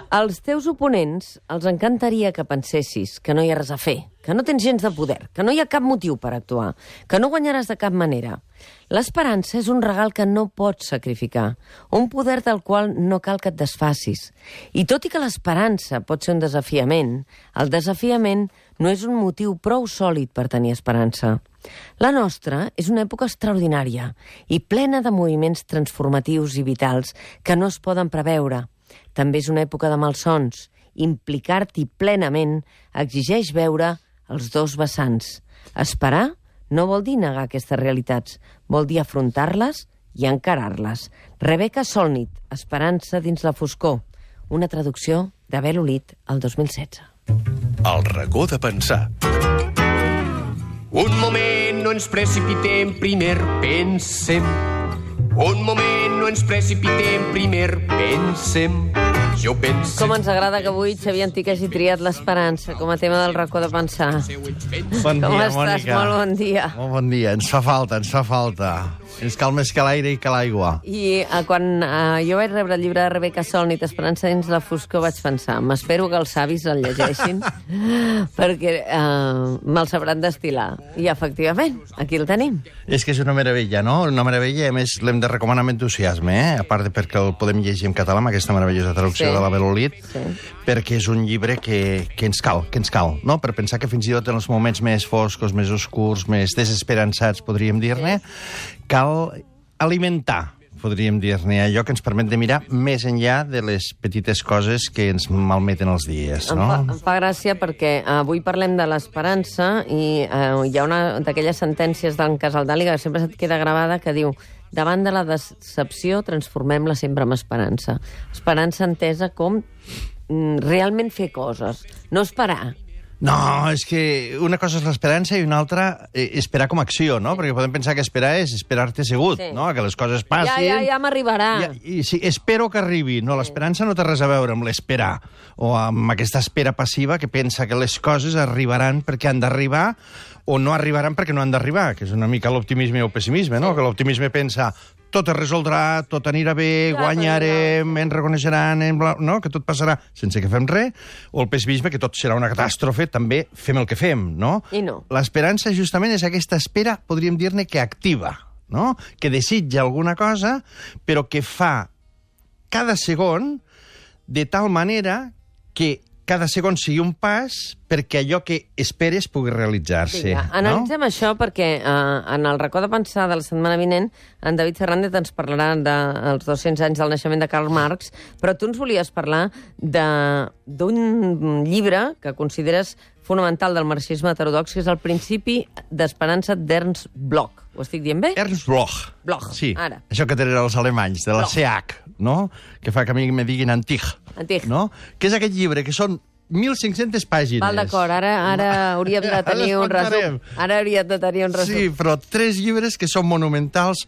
Als teus oponents els encantaria que pensessis que no hi ha res a fer, que no tens gens de poder, que no hi ha cap motiu per actuar, que no guanyaràs de cap manera. L'esperança és un regal que no pots sacrificar, un poder del qual no cal que et desfacis. I tot i que l'esperança pot ser un desafiament, el desafiament no és un motiu prou sòlid per tenir esperança. La nostra és una època extraordinària i plena de moviments transformatius i vitals que no es poden preveure. També és una època de malsons. Implicar-t'hi plenament exigeix veure els dos vessants. Esperar no vol dir negar aquestes realitats, vol dir afrontar-les i encarar-les. Rebecca Solnit, Esperança dins la foscor, una traducció de Bel Olid el 2016. El racó de pensar. Un moment, no ens precipitem, primer pensem. Un moment, no ens precipitem, primer pensem. Jo penso... Com ens agrada que avui Xavier Antich hagi triat l'esperança com a tema del racó de pensar. Bon Com dia, estàs? Mònica. Molt bon dia. Molt bon dia. Ens fa falta, ens fa falta. Ens cal més que l'aire i que l'aigua. I quan jo vaig rebre el llibre de Rebecca Solnit, Esperança dins la foscor, vaig pensar, m'espero que els savis el llegeixin, perquè me'l sabran destil·lar. I, efectivament, aquí el tenim. És que és una meravella, no? Una meravella, a més, l'hem de recomanar amb entusiasme, a part de perquè el podem llegir en català, amb aquesta meravellosa traducció de la Bel Olid, perquè és un llibre que ens cal, no? Per pensar que fins i tot en els moments més foscos, més oscurs, més desesperançats, podríem dir-ne, cal alimentar, podríem dir-ne, allò que ens permet de mirar més enllà de les petites coses que ens malmeten els dies, no? Em fa gràcia perquè avui parlem de l'esperança i hi ha una d'aquelles sentències d'en Casaldali que sempre se't queda gravada que diu: davant de la decepció transformem-la sempre en esperança. Esperança entesa com realment fer coses, no esperar. No, és que una cosa és l'esperança i una altra esperar com a acció, no? Perquè podem pensar que esperar és esperar-te assegut, no? Que les coses passin... Ja m'arribarà. Sí, espero que arribi. No, l'esperança no té res a veure amb l'esperar o amb aquesta espera passiva que pensa que les coses arribaran perquè han d'arribar o no arribaran perquè no han d'arribar, que és una mica l'optimisme o el pessimisme, no? Que l'optimisme pensa tot es resoldrà, tot anirà bé, guanyarem, ens reconeixeran, no? Que tot passarà sense que fem res, o el pessimisme, que tot serà una catàstrofe, també fem el que fem, no? I no. L'esperança justament és aquesta espera, podríem dir-ne, que activa, no? Que desitja alguna cosa, però que fa cada segon de tal manera que cada segon sigui un pas perquè allò que esperes pugui realitzar-se. Vinga, analitzem això perquè en el racó de pensar de la setmana vinent en David Fernández ens parlarà dels 200 anys del naixement de Karl Marx, però tu ens volies parlar d'un llibre que consideres fonamental del marxisme heterodox, que és el principi d'esperança d'Ernst Bloch. Ho estic dient bé? Ernst Bloch. Bloch, sí, ara. Això que tenen els alemanys, de la CH, no? Que fa que a mi me diguin Antich. Antich. No? Que és aquest llibre, que són 1.500 pàgines. Val, d'acord, ara hauríem de tenir un resum. Ara hauríem de tenir un resum. Sí, però 3 llibres que són monumentals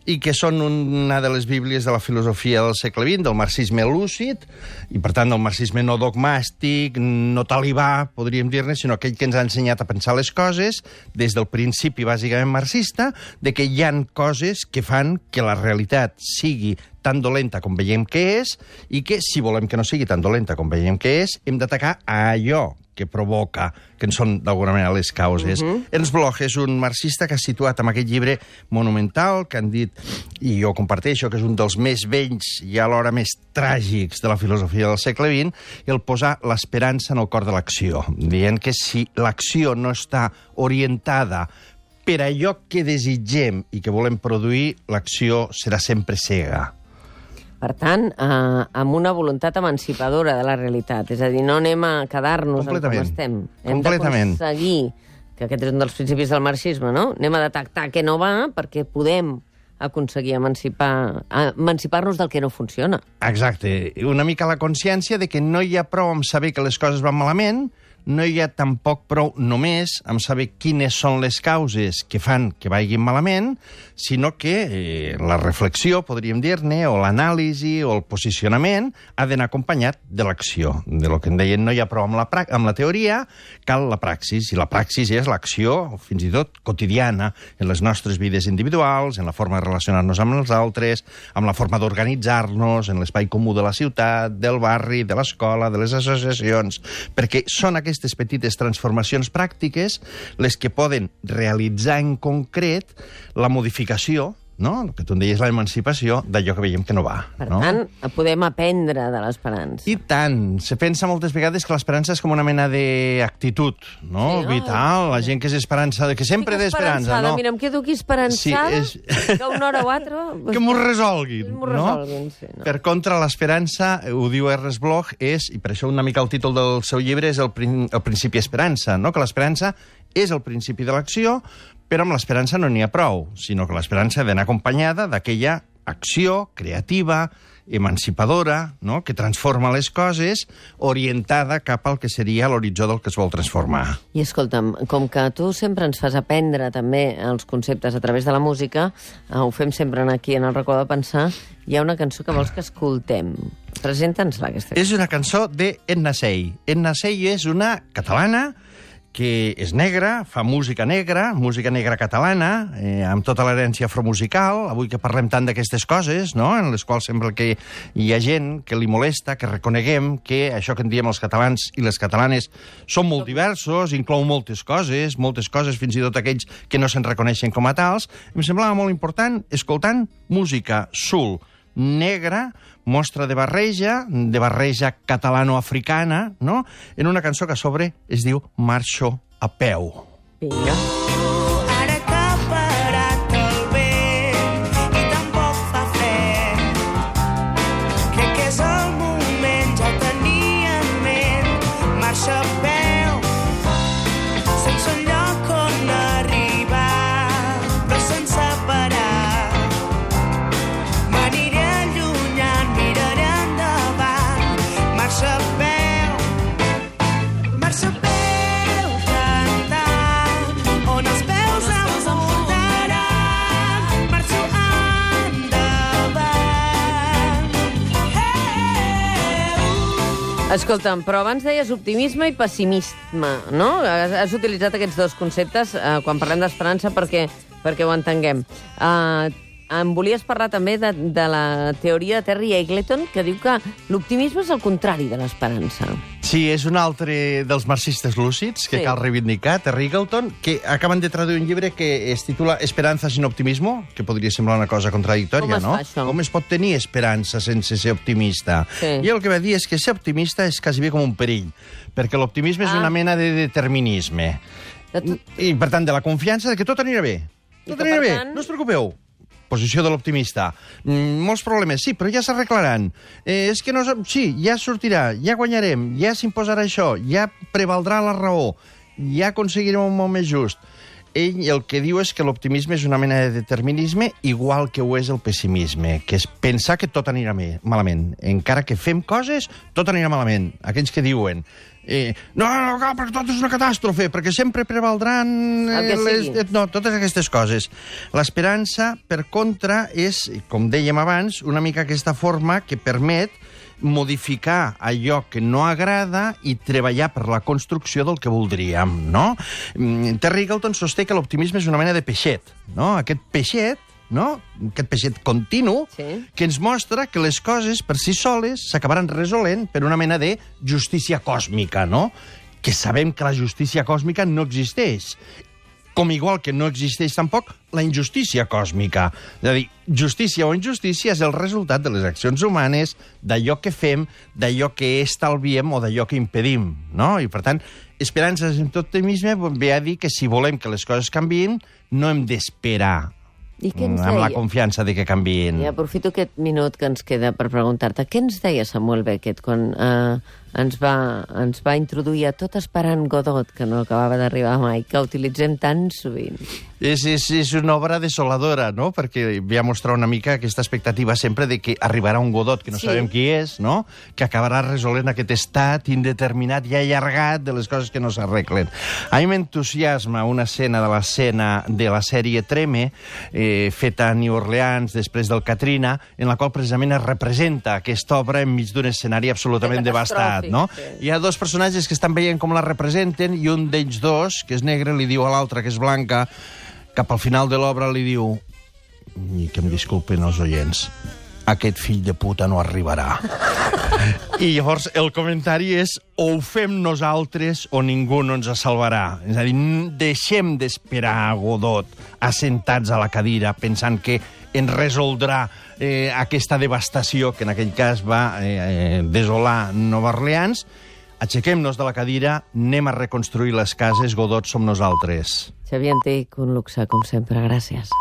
i que són una de les bíblies de la filosofia del segle XX, del marxisme lúcid, i per tant del marxisme no dogmàstic, no talibà, podríem dir-ne, sinó aquell que ens ha ensenyat a pensar les coses des del principi bàsicament marxista, de que hi han coses que fan que la realitat sigui tan dolenta com veiem que és, i que, si volem que no sigui tan dolenta com veiem que és, hem d'atacar a allò que provoca, que en són d'alguna manera les causes. Ernst Bloch és un marxista que ha situat en aquest llibre monumental, que han dit, i jo comparteixo, que és un dels més vells i alhora més tràgics de la filosofia del segle XX, el posar l'esperança en el cor de l'acció, dient que si l'acció no està orientada per allò que desitgem i que volem produir, l'acció serà sempre cega. Per tant, amb una voluntat emancipadora de la realitat. És a dir, no anem a quedar-nos com estem. Hem d'aconseguir, que aquest és un dels principis del marxisme, no? Anem a detectar què no va perquè podem aconseguir emancipar-nos del que no funciona. Exacte. Una mica la consciència de que no hi ha prou amb saber que les coses van malament, no hi ha tampoc prou només amb saber quines són les causes que fan que vagin malament, sinó que la reflexió, podríem dir-ne, o l'anàlisi o el posicionament ha d'anar acompanyat de l'acció. De lo que en deien, no hi ha prou amb la teoria, cal la praxis, i la praxis és l'acció, fins i tot quotidiana, en les nostres vides individuals, en la forma de relacionar-nos amb els altres, amb la forma d'organitzar-nos, en l'espai comú de la ciutat, del barri, de l'escola, de les associacions, perquè són aquestes petites transformacions pràctiques les que poden realitzar en concret la modificació, no? El que tu en deies, l'emancipació d'allò que veiem que no va. Per tant, podem aprendre de l'esperança. I tant. Se pensa moltes vegades que l'esperança és com una mena d'actitud, no? Sí, vital, la gent que és esperançada, que sempre té esperança, no? Mira, em quedo aquí esperançada, Sí, que una hora o altra... Que m'ho resolguin, m'ho resolguin, sí, no? Per contra, l'esperança, ho diu Ernest Bloch, és, i per això una mica el títol del seu llibre és el principi esperança, no? Que l'esperança és el principi de l'acció, però amb l'esperança no n'hi ha prou, sinó que l'esperança ha d'anar acompanyada d'aquella acció creativa, emancipadora, no? Que transforma les coses, orientada cap al que seria l'horitzó del que es vol transformar. I escolta'm, com que tu sempre ens fas aprendre també els conceptes a través de la música, ho fem sempre aquí en el racó de pensar, hi ha una cançó que vols que escoltem. Presenta'ns-la, aquesta. És una cançó de Edna Sey. Edna Sey és una catalana que és negra, fa música negra catalana, amb tota l'herència afromusical, avui que parlem tant d'aquestes coses, no?, en les quals sembla que hi ha gent que li molesta, que reconeguem que això que en diem els catalans i les catalanes són molt diversos, inclou moltes coses, fins i tot aquells que no se'n reconeixen com a tals. Em semblava molt important escoltant música soul, negra, mostra de barreja catalano-africana, no?, en una cançó que a sobre es diu Marxo a peu. Vinga. Ara que ha parat el vent i tampoc fa fred, crec que és el moment, ja ho tenia en ment, marxa a peu, sense un lloc on arribar, però sense parar. Escolta'm, però abans deies optimisme i pessimisme, no? Has utilitzat aquests dos conceptes quan parlem d'esperança perquè ho entenguem. Em volies parlar també de la teoria de Terry Eagleton, que diu que l'optimisme és el contrari de l'esperança. Sí, és un altre dels marxistes lúcids que cal reivindicar, Terry Eagleton, que acaben de traduir un llibre que es titula Esperanza sin optimismo, que podria semblar una cosa contradictòria, no? Com es fa, això? Com es pot tenir esperança sense ser optimista? Sí. I el que va dir és que ser optimista és quasi bé com un perill, perquè l'optimisme és una mena de determinisme. I, per tant, de la confiança de que tot anirà bé. Tot anirà bé, no us preocupeu. Posició de l'optimista. Molts problemes, sí, però ja s'arreglaran. És que no... Sí, ja sortirà, ja guanyarem, ja s'imposarà això, ja prevaldrà la raó, ja aconseguirem un món més just. Ell el que diu és que l'optimisme és una mena de determinisme igual que ho és el pessimisme, que és pensar que tot anirà malament. Encara que fem coses, tot anirà malament. Aquells que diuen... No, perquè tot és una catàstrofe, perquè sempre prevaldran totes aquestes coses. L'esperança, per contra, és, com dèiem abans, una mica aquesta forma que permet modificar allò que no agrada i treballar per la construcció del que voldríem, no? Terry Eagleton sosté que l'optimisme és una mena de peixet, no? Aquest peixet, no? Aquest peixet continu, que ens mostra que les coses per si soles s'acabaran resolent per una mena de justícia còsmica, no? Que sabem que la justícia còsmica no existeix. Com igual que no existeix tampoc la injustícia còsmica. És a dir, justícia o injustícia és el resultat de les accions humanes, d'allò que fem, d'allò que estalviem o d'allò que impedim, no? I, per tant, esperança en tot optimisme ve a dir que si volem que les coses canviïn, no hem d'esperar amb la confiança de que canviïn. I aprofito aquest minut que ens queda per preguntar-te, què ens deia Samuel Beckett quan ens va introduir a Tot esperant Godot, que no acabava d'arribar mai, que utilitzem tan sovint. És una obra desoladora, no? Perquè ve a mostrar una mica aquesta expectativa sempre de que arribarà un Godot, que no sabem qui és, no? Que acabarà resolent aquest estat indeterminat i allargat de les coses que no s'arreglen. A mi m'entusiasma una escena de la sèrie Treme, feta a New Orleans després del Katrina, en la qual precisament es representa aquesta obra enmig d'un escenari absolutament devastat, no? Hi ha dos personatges que estan veient com la representen i un d'ells dos, que és negre, li diu a l'altre, que és blanca, cap al final de l'obra li diu, i que em disculpen els oients, aquest fill de puta no arribarà. I llavors el comentari és o ho fem nosaltres o ningú no ens salvarà. És a dir, deixem d'esperar a Godot assentats a la cadira pensant que ens resoldrà aquesta devastació que en aquell cas va desolar Nova Orleans. Aixequem-nos de la cadira, anem a reconstruir les cases, Godot som nosaltres. Xavier Antich, un luxe, com sempre. Gràcies.